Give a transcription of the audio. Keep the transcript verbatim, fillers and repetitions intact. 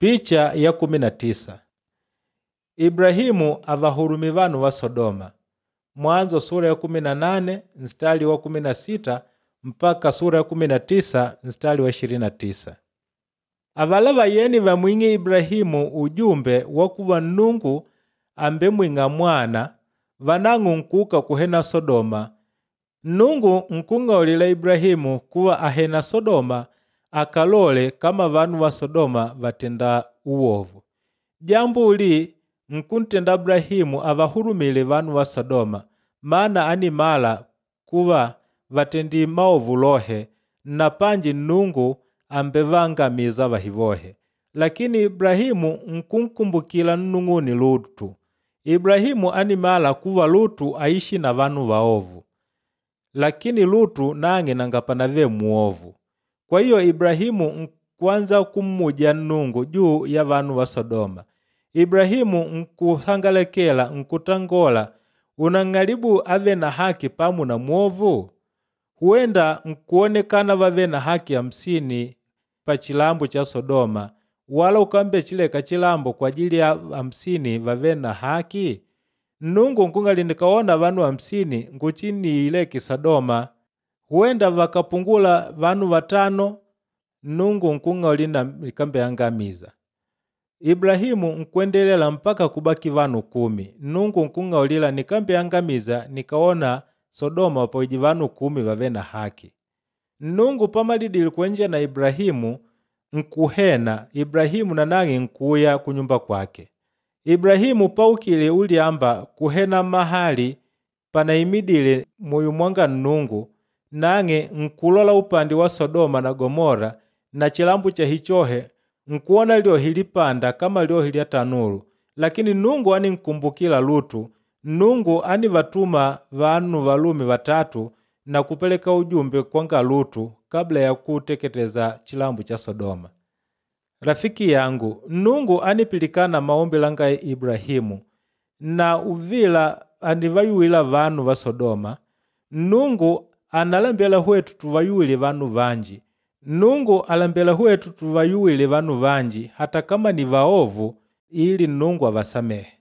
Picha ya kumi na tisa. Ibrahimu avahurumi vanu va Sodoma. Mwanzo sura ya kumi na nane mstari wa kumi na sita mpaka sura ya kumi na tisa mstari wa ishirini na tisa. Avala vayeni vamwing'e Ibrahimu ujumbe wa kuva Nnungu ambemwing'a mwana vanang'u nkuuka kuhena Sodoma. Nnungu nkung'aulila Ibrahimu kuva ahena Sodoma akalole kama vanu va Sodoma vatenda uwovu. Jambo uli nkuntenda Abrahimu avahurumile vanu va Sodoma, mana animala kuva vatendi maovu lohe na panji Nnungu àmbevangamiza vahivohe. Lakini Ibrahimu nkunkumbukila nnung'une Lutu. Ibrahimu animala kuva Lutu aishi na vanu vaovu. Lakini Lutu nang'e nanga panavele mwovu. Kwa hiyo Ibrahimu nkwanza kummuja Nnungu juu ya vanu va Sodoma. Ibrahimu nkuhangalekela nkutangola, unang'alibu ave na haki pamu na mwovu? Huenda nkuonekana vave na haki hamsini pa chilambo cha Sodoma, wala ukambechileka chilambo kwa ajili ya hamsini vave na haki? Nnungu nkungali nikaona vanu hamsini nguchiniileke Sodoma. Huenda vakapungula vanu vatano, Nnungu nkung'aulila nikambeangamiza. Ibrahimu nkwendelela mpaka kubaki vanu kumi. Nnungu nkung'aulila nikambeangamiza nikaona Sodoma pawije vanu kumi vave na haki. Nnungu pamalidile kuenja na Ibrahimu nkuhena, Ibrahimu nanang'e nkuya kunyumba kwake. Ibrahimu paukile ulyamba kuhena mahali panaimidile muyo mwanga Nnungu, nang'e nkulola upande wa Sodoma na Gomora na chilambo chahichohe nkuona lyohi lipanda kama lyohi lya tanulu. Lakini Nnungu aninkumbukila Lutu. Nnungu anivatuma vanu valume vatatu na kupeleka ujumbe kwanga Lutu kabla ya kuteketeza chilambo cha Sodoma. Rafiki yangu, Nnungu anipilikana maombi langa Ibrahimu na uvila anivayuwila vanu va Sodoma. Nnungu analembela hwetu tuvayuwile vanu vanji. Nnungu alembela hwetu tuvayuwile vanu vanji hata kama ni vaovu ili Nnungu avasamehe.